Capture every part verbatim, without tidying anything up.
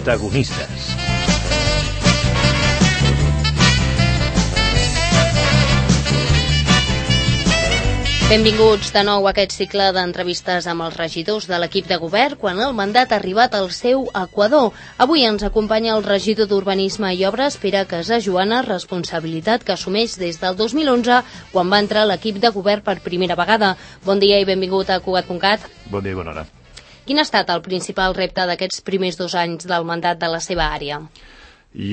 Protagonistes. Benvinguts de nou a aquest cicle d'entrevistes amb els regidors de l'equip de govern quan el mandat ha arribat al seu equador. Avui ens acompanya el regidor d'Urbanisme i Obres, Pere Casajoana, responsabilitat que assumeix des del dos mil onze, quan va entrar a l'equip de govern per primera vegada. Bon dia i benvingut a Cugat punt cat. Bon dia i bona hora. Quin ha estat el principal repte d'aquests primers dos anys del mandat de la seva àrea?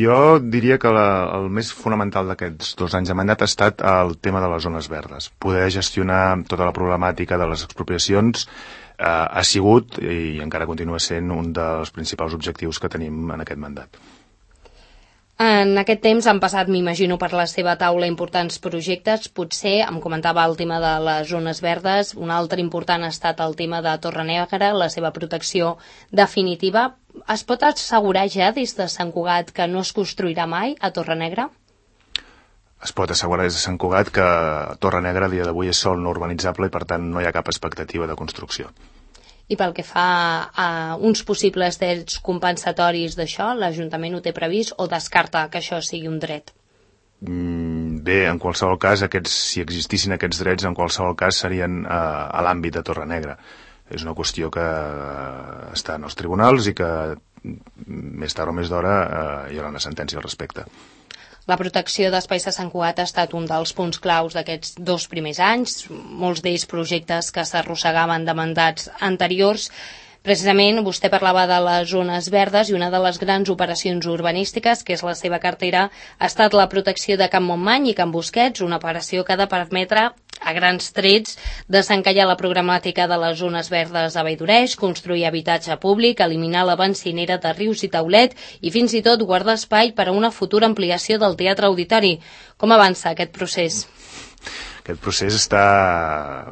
Jo diria que la, el més fonamental d'aquests dos anys de mandat ha estat el tema de les zones verdes. Poder gestionar tota la problemàtica de les expropiacions eh, ha sigut i encara continua sent un dels principals objectius que tenim en aquest mandat. En aquest temps han passat, m'imagino, per la seva taula importants projectes. Potser, em comentava el tema de les zones verdes, un altre important ha estat el tema de Torrenegra, la seva protecció definitiva. Es pot assegurar ja des de Sant Cugat que no es construirà mai a Torrenegra? Es pot assegurar des de Sant Cugat que Torrenegra a dia d'avui és sòl no urbanitzable i per tant no hi ha cap expectativa de construcció. I pel que fa a uns possibles drets compensatoris d'això, l'Ajuntament ho té previst o descarta que això sigui un dret? Mm, bé, en qualsevol cas, aquests, si existissin aquests drets, en qualsevol cas serien eh, a l'àmbit de Torrenegra. És una qüestió que eh, està en els tribunals i que més tard o més d'hora eh, hi haurà una sentència al respecte. La protecció d'espais de Sant Cugat ha estat un dels punts claus d'aquests dos primers anys, molts d'ells projectes que s'arrossegaven de mandats anteriors. Precisament vostè parlava de les zones verdes i una de les grans operacions urbanístiques, que és la seva cartera, ha estat la protecció de Can Montmany i Can Busquets, una operació que ha de permetre a grans trets desencallar la programàtica de les zones verdes a Valldoreig, construir habitatge públic, eliminar la bencinera de Rius i Taulet i fins i tot guardar espai per a una futura ampliació del Teatre Auditori. Com avança aquest procés? Aquest procés està,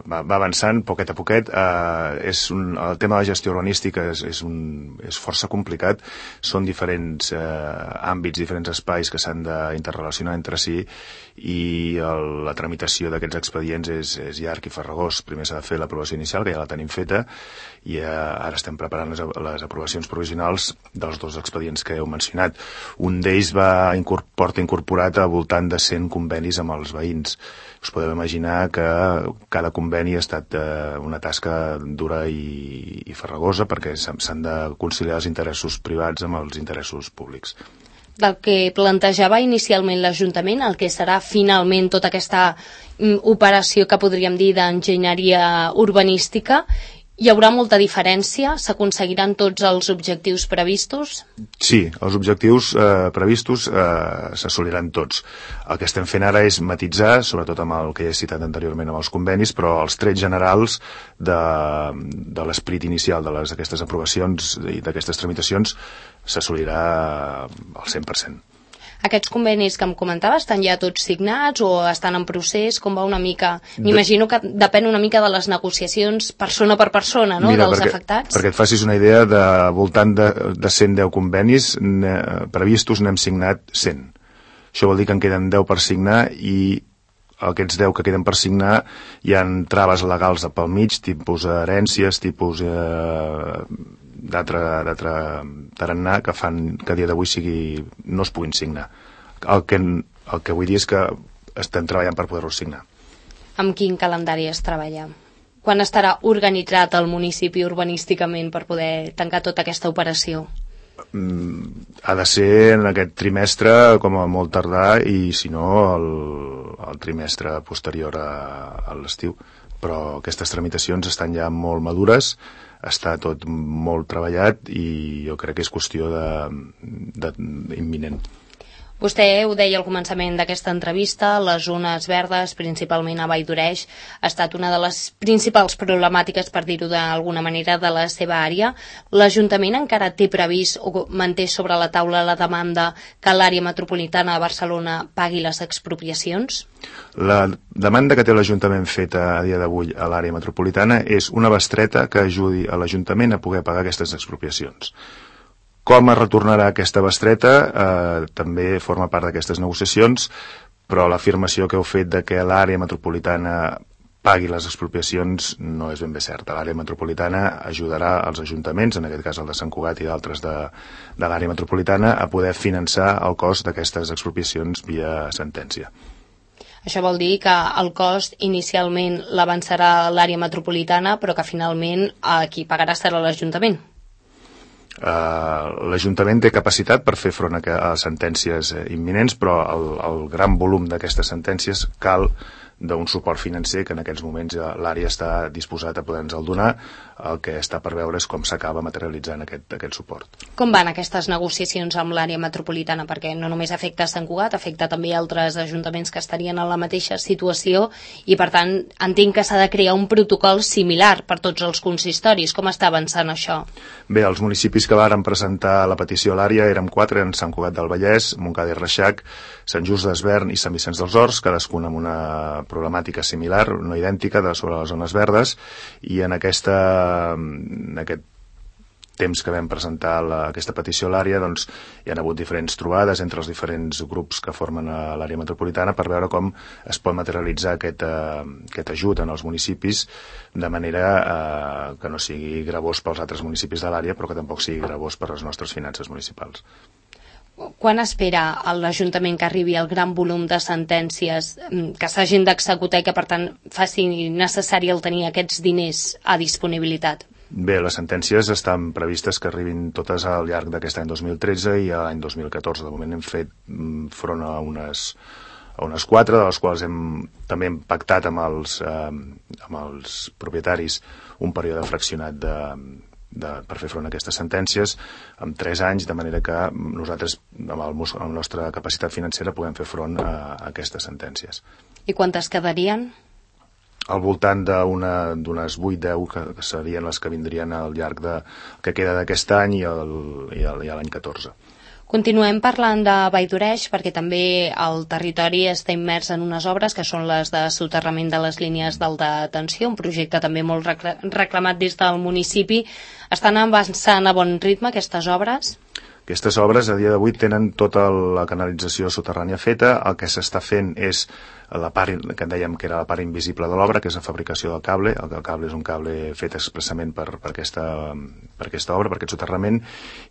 va, va avançant poquet a poquet. Eh, és un, el tema de la gestió urbanística és, és, un, és força complicat. Són diferents eh, àmbits, diferents espais que s'han d'interrelacionar entre si i el, la tramitació d'aquests expedients és, és llarg i farragós. Primer s'ha de fer l'aprovació inicial, que ja la tenim feta, i eh, ara estem preparant les, les aprovacions provisionals dels dos expedients que heu mencionat. Un d'ells va incorpor, porta incorporat a voltant de cent convenis amb els veïns. Us podeu imaginar que cada conveni ha estat eh, una tasca dura i, i farragosa perquè s'han de conciliar els interessos privats amb els interessos públics. Del que plantejava inicialment l'Ajuntament, el que serà finalment tota aquesta mm, operació que podríem dir d'enginyeria urbanística, hi haurà molta diferència? S'aconseguiran tots els objectius previstos? Sí, els objectius eh, previstos eh, s'assoliran tots. El que estem fent ara és matitzar, sobretot amb el que he citat anteriorment amb els convenis, però els trets generals de, de l'esperit inicial de les, aquestes aprovacions i d'aquestes tramitacions s'assolirà al cent per cent. Aquests convenis que em comentava estan ja tots signats o estan en procés? Com va una mica? M'imagino que depèn una mica de les negociacions persona per persona, no? Mira, dels perquè, afectats. Perquè et facis una idea, de voltant de, de cent deu convenis ne, previstos n'hem signat cent. Això vol dir que en queden deu per signar i aquests deu que queden per signar hi ha traves legals pel mig, tipus herències, tipus eh, d'altre tarannà que fan que a dia d'avui sigui, no es puguin signar. El que, el que vull dir és que estem treballant per poder-ho signar. Amb quin calendari es treballa? Quan estarà organitzat el municipi urbanísticament per poder tancar tota aquesta operació? Mm, ha de ser en aquest trimestre com a molt tardar i si no el, el trimestre posterior a, a l'estiu, però aquestes tramitacions estan ja molt madures, està tot molt treballat i jo crec que és qüestió de, de, imminent. Vostè ho deia al començament d'aquesta entrevista, les zones verdes, principalment a Valldoreig, ha estat una de les principals problemàtiques, per dir-ho d'alguna manera, de la seva àrea. L'Ajuntament encara té previst o manté sobre la taula la demanda que l'àrea metropolitana de Barcelona pagui les expropiacions? La demanda que té l'Ajuntament feta a dia d'avui a l'àrea metropolitana és una bestreta que ajudi a l'Ajuntament a poder pagar aquestes expropiacions. Com es retornarà aquesta bestreta eh, també forma part d'aquestes negociacions, però l'afirmació que heu fet de que l'àrea metropolitana pagui les expropiacions no és ben bé certa. L'àrea metropolitana ajudarà als ajuntaments, en aquest cas el de Sant Cugat i d'altres de, de l'àrea metropolitana, a poder finançar el cost d'aquestes expropiacions via sentència. Això vol dir que el cost inicialment l'avançarà l'àrea metropolitana, però que finalment qui pagarà serà l'Ajuntament. Uh, L'Ajuntament té capacitat per fer front a, a sentències imminents, però el, el gran volum d'aquestes sentències cal d'un suport financer que en aquests moments l'àrea està disposat a poder-nos el donar. El que està per veure és com s'acaba materialitzant aquest, aquest suport. Com van aquestes negociacions amb l'àrea metropolitana? Perquè no només afecta Sant Cugat, afecta també altres ajuntaments que estarien en la mateixa situació i, per tant, entenc que s'ha de crear un protocol similar per tots els consistoris. Com està avançant això? Bé, els municipis que varen presentar la petició a l'àrea érem quatre, en Sant Cugat del Vallès, Montcada i Reixac, Sant Just d'Esvern i Sant Vicenç dels Horts, cadascun amb una problemàtica similar, no idèntica, de sobre les zones verdes, i en aquesta en aquest temps que vam presentar la, aquesta petició a l'àrea, doncs hi ha hagut diferents trobades entre els diferents grups que formen a l'àrea metropolitana per veure com es pot materialitzar aquest, uh, aquest ajut en els municipis de manera uh, que no sigui gravós pels altres municipis de l'àrea, però que tampoc sigui gravós per les nostres finances municipals. Quan espera l'Ajuntament que arribi el gran volum de sentències que s'hagin d'executar i que, per tant, faci necessari el tenir aquests diners a disponibilitat? Bé, les sentències estan previstes que arribin totes al llarg d'aquest any dos mil tretze i a l'any dos mil catorze. De moment hem fet front a unes, a unes quatre, de les quals hem també hem pactat amb els, eh, amb els propietaris un període fraccionat de De, per fer front a aquestes sentències amb tres anys, de manera que nosaltres amb, el, amb la nostra capacitat financera puguem fer front a, a aquestes sentències. I quantes quedarien? Al voltant d'unes vuit deu que, que serien les que vindrien al llarg de, que queda d'aquest any i l'any catorze. Continuem parlant de Vall d'Oreix perquè també el territori està immers en unes obres que són les de soterrament de les línies d'alta tensió, un projecte també molt reclamat des del municipi. Estan avançant a bon ritme aquestes obres? Aquestes obres a dia d'avui tenen tota la canalització soterrània feta. El que s'està fent és la part que dèiem que era la part invisible de l'obra, que és la fabricació del cable. El cable és un cable fet expressament per, per, aquesta, per aquesta obra, per aquest soterrament,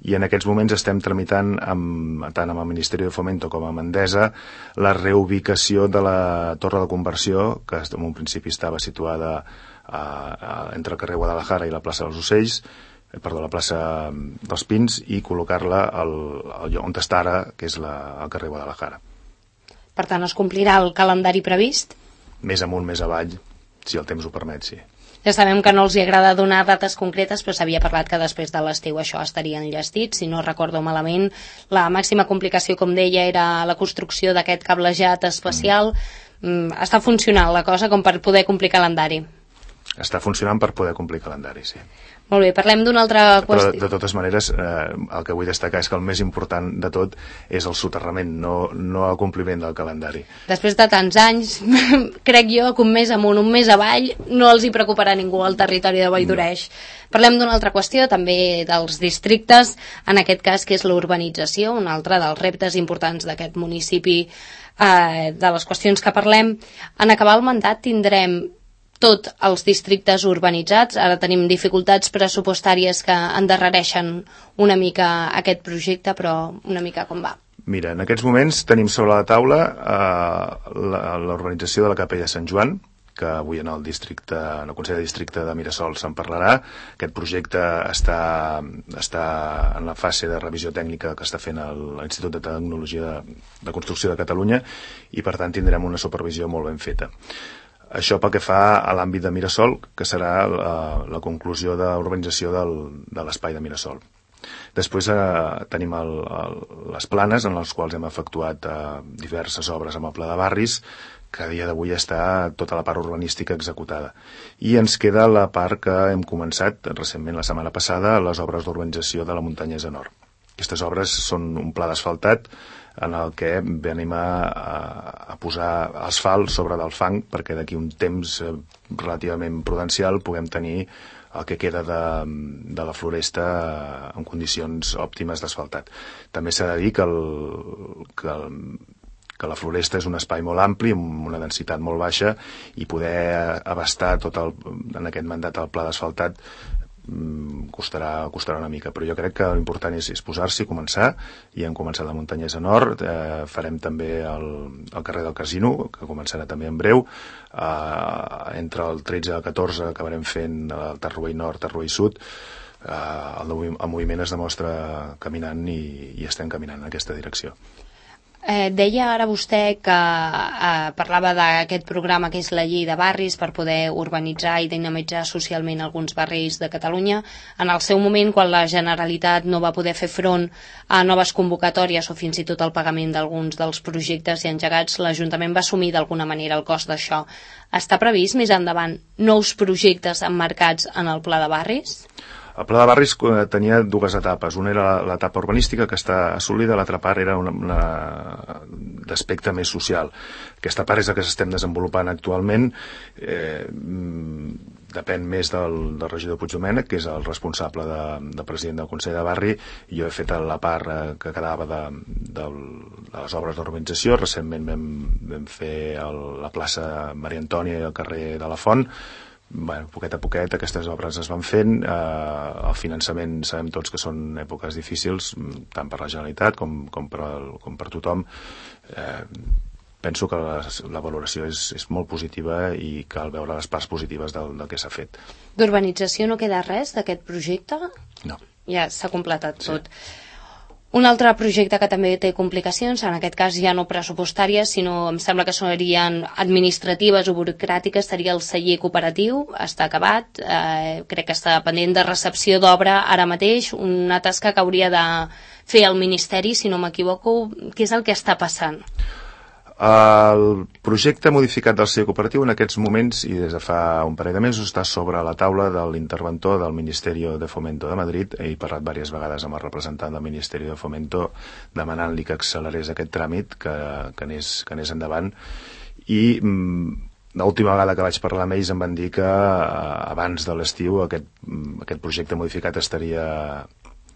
i en aquests moments estem tramitant amb, tant amb el Ministeri de Fomento com amb Endesa la reubicació de la torre de conversió, que en un principi estava situada a, a, entre el carrer Guadalajara i la plaça dels Ocells, perdó, la plaça dels Pins, i col·locar-la al, al lloc on està ara, que és la, el carrer Guadalajara. Per tant, es complirà el calendari previst? Més amunt, més avall, si el temps ho permet, sí. Ja sabem que no els hi agrada donar dates concretes, però s'havia parlat que després de l'estiu això estaria enllestit. Si no recordo malament, la màxima complicació, com deia, era la construcció d'aquest cablejat especial. Mm. Està funcionant la cosa com per poder complir calendari? Està funcionant per poder complir calendari, sí. Molt bé, parlem d'una altra qüestió. Però de totes maneres, eh, el que vull destacar és que el més important de tot és el soterrament, no, no el compliment del calendari. Després de tants anys, crec jo que un mes amunt, un mes avall, no els hi preocuparà ningú al territori de Vall d'Oreix. No. Parlem d'una altra qüestió, també dels districtes, en aquest cas, que és la urbanització, un altre dels reptes importants d'aquest municipi, eh, de les qüestions que parlem. En acabar el mandat tindrem tots els districtes urbanitzats. Ara tenim dificultats pressupostàries que endarrereixen una mica aquest projecte, però una mica com va. Mira, en aquests moments tenim sobre la taula eh, l'urbanització de la Capella de Sant Joan, que avui en el districte, en el Consell de Districte de Mirasol se'n parlarà. Aquest projecte està, està en la fase de revisió tècnica que està fent l'Institut de Tecnologia de, de Construcció de Catalunya, i per tant tindrem una supervisió molt ben feta. Això pel que fa a l'àmbit de Mirasol, que serà la, la conclusió de l'urbanització del, de l'espai de Mirasol. Després eh, tenim el, el, les planes, en les quals hem efectuat eh, diverses obres amb el Pla de Barris, que a dia d'avui està tota la part urbanística executada. I ens queda la part que hem començat recentment, la setmana passada, les obres d'urbanització de la Muntanyesa Nord. Aquestes obres són un pla d'asfaltat en el que venim a, a posar asfalt sobre del fang perquè d'aquí un temps relativament prudencial puguem tenir el que queda de, de la floresta en condicions òptimes d'asfaltat. També s'ha de dir que, el, que, el, que la Floresta és un espai molt ampli, amb una densitat molt baixa, i poder abastar tot el, en aquest mandat el pla d'asfaltat costarà, costarà una mica, però jo crec que l'important és, és posar-s'hi i començar, i hem començat a Montanyesa Nord, eh, farem també el, el carrer del Casino, que començarà també en breu, eh, entre el tretze i el catorze acabarem fent el Tarruell Nord, Tarruell Sud. eh, el, el moviment es demostra caminant i, i estem caminant en aquesta direcció. Eh, deia ara vostè que eh, parlava d'aquest programa que és la llei de barris per poder urbanitzar i dinamitzar socialment alguns barris de Catalunya. En el seu moment, quan la Generalitat no va poder fer front a noves convocatòries o fins i tot al pagament d'alguns dels projectes i engegats, l'Ajuntament va assumir d'alguna manera el cost d'això. Està previst més endavant nous projectes emmarcats en el Pla de Barris? El Pla de Barris tenia dues etapes. Una era l'etapa urbanística, que està assolida, l'altra part era una, una d'aspecte més social. Aquesta part és la que estem desenvolupant actualment. Eh, depèn més del, del regidor Puigdomènech, que és el responsable de, de president del Consell de Barri. Jo he fet la part eh, que quedava de, de, de les obres d'urbanització. Recentment vam, vam fer el, la plaça Maria Antònia i el carrer de la Font. Bueno, poquet a poquet aquestes obres es van fent. Eh, el finançament sabem tots que són èpoques difícils, tant per la Generalitat com, com, per, el, com per tothom. Eh, penso que la, la valoració és, és molt positiva i cal veure les parts positives del, del que s'ha fet. D'urbanització no queda res d'aquest projecte? No. Ja s'ha completat tot. Sí. Un altre projecte que també té complicacions, en aquest cas ja no pressupostàries, sinó em sembla que serien administratives o burocràtiques, seria el celler cooperatiu. Està acabat, eh, crec que està pendent de recepció d'obra ara mateix, una tasca que hauria de fer el Ministeri, si no m'equivoco. Què és el que està passant? El projecte modificat del celler cooperatiu en aquests moments i des de fa un parell de mesos està sobre la taula de l'interventor del Ministeri de Fomento de Madrid. He parlat diverses vegades amb el representant del Ministeri de Fomento demanant-li que accelerés aquest tràmit, que, que, anés, que anés endavant, i mm, l'última vegada que vaig parlar amb ells em van dir que eh, abans de l'estiu aquest, aquest projecte modificat estaria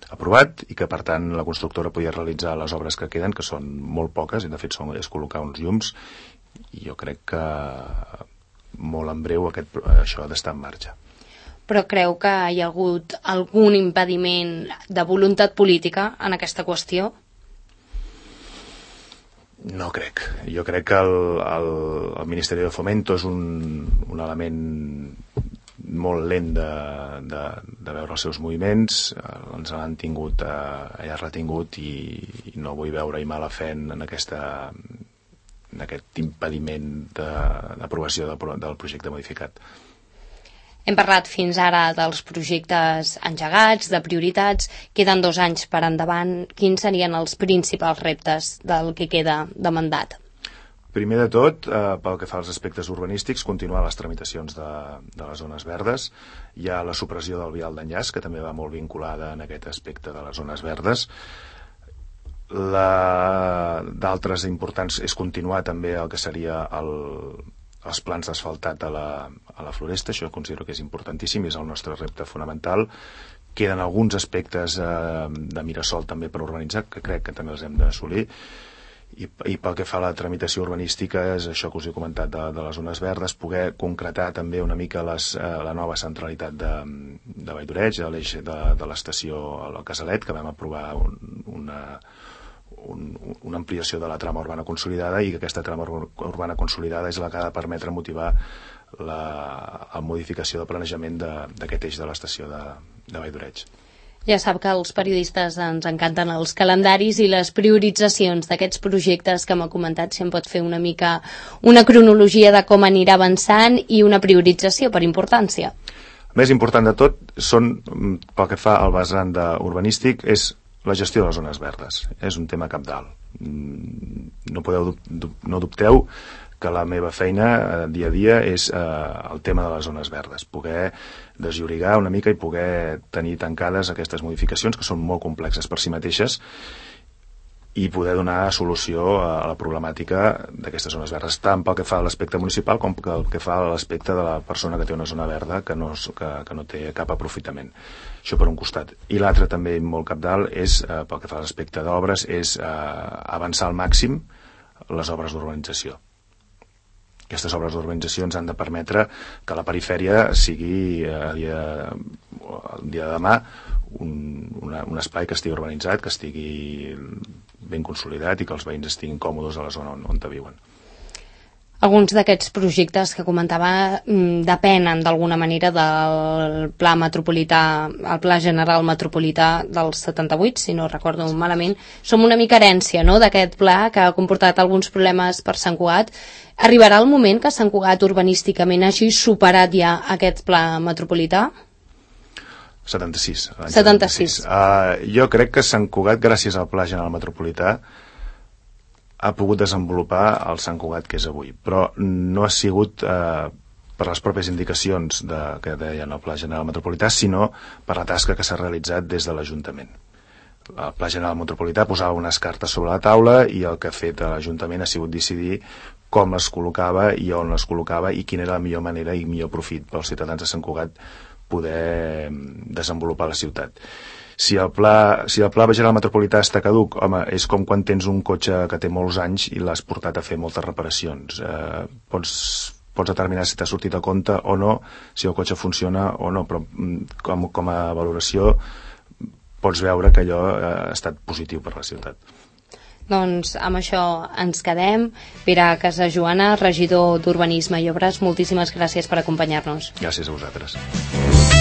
aprovat i que per tant la constructora podia realitzar les obres que queden, que són molt poques, i de fet són, és col·locar uns llums, i jo crec que molt en breu aquest, això ha d'estar en marxa. Però creu que hi ha hagut algun impediment de voluntat política en aquesta qüestió? No crec. Jo crec que el, el, el Ministeri de Fomento és un, un element molt lent de, de, de veure els seus moviments. Ens l'han tingut eh, ja retingut i, i no vull veure-hi mala fe en, aquesta, en aquest impediment d'aprovació de, del projecte modificat. Hem parlat fins ara dels projectes engegats, de prioritats. Queden dos anys per endavant. Quins serien els principals reptes del que queda de mandat? Primer de tot, eh, pel que fa als aspectes urbanístics, continuar les tramitacions de, de les zones verdes. Hi ha la supressió del vial d'enllaç, que també va molt vinculada en aquest aspecte de les zones verdes. D'altres importants és continuar també el que seria el, els plans d'asfaltat a, la, a la Floresta. Això considero que és importantíssim, és el nostre repte fonamental. Queden alguns aspectes eh, de Mirasol també per urbanitzar, que crec que també els hem d'assolir. I, i pel que fa a la tramitació urbanística és això que us he comentat de, de les zones verdes, poder concretar també una mica les, eh, la nova centralitat de, de Valldoreig, de l'eix de, de l'estació al Casalet, que vam aprovar un, una, un, una ampliació de la trama urbana consolidada, i que aquesta trama urbana consolidada és la que ha de permetre motivar la, la modificació de planejament d'aquest eix de l'estació de, de Valldoreig. Ja sap que als periodistes ens encanten els calendaris i les prioritzacions d'aquests projectes que m'ha comentat. Si em pot fer una mica una cronologia de com anirà avançant i una priorització per importància. El més important de tot són, pel que fa al vessant urbanístic, és la gestió de les zones verdes. És un tema cabdal. No podeu, no dubteu que la meva feina eh, dia a dia és eh, el tema de les zones verdes, poder desllorigar una mica i poder tenir tancades aquestes modificacions que són molt complexes per si mateixes i poder donar solució a la problemàtica d'aquestes zones verdes, tant pel que fa a l'aspecte municipal com pel que fa a l'aspecte de la persona que té una zona verda que no, que, que no té cap aprofitament. Això per un costat. I l'altre també molt cabdal és, eh, pel que fa a l'aspecte d'obres, és eh, avançar al màxim les obres d'urbanització. Aquestes obres d'urbanització ens han de permetre que la perifèria sigui a dia, el dia de demà un, una, un espai que estigui urbanitzat, que estigui ben consolidat i que els veïns estiguin còmodes a la zona on, on viuen. Alguns d'aquests projectes que comentava depenen d'alguna manera del pla metropolità, el pla general metropolità del setanta-vuit, si no recordo malament. Som una mica herència, no?, d'aquest pla que ha comportat alguns problemes per Sant Cugat. Arribarà el moment que Sant Cugat urbanísticament hagi superat ja aquest pla metropolità? setanta-sis. setanta-sis. Uh, jo crec que Sant Cugat, gràcies al pla general metropolità, ha pogut desenvolupar el Sant Cugat que és avui, però no ha sigut eh, per les pròpies indicacions de, que deien el Pla General Metropolità, sinó per la tasca que s'ha realitzat des de l'Ajuntament. El Pla General Metropolità posava unes cartes sobre la taula i el que ha fet l'Ajuntament ha sigut decidir com les col·locava i on les col·locava i quina era la millor manera i millor profit pels ciutadans de Sant Cugat poder desenvolupar la ciutat. Si el pla, si el pla general metropolità està caduc, home, és com quan tens un cotxe que té molts anys i l'has portat a fer moltes reparacions. Eh, pots, pots determinar si t'ha sortit a compte o no, si el cotxe funciona o no, però com, com a valoració pots veure que allò ha estat positiu per la ciutat. Doncs amb això ens quedem. Pere Casajoana, regidor d'Urbanisme i Obres, moltíssimes gràcies per acompanyar-nos. Gràcies a vosaltres.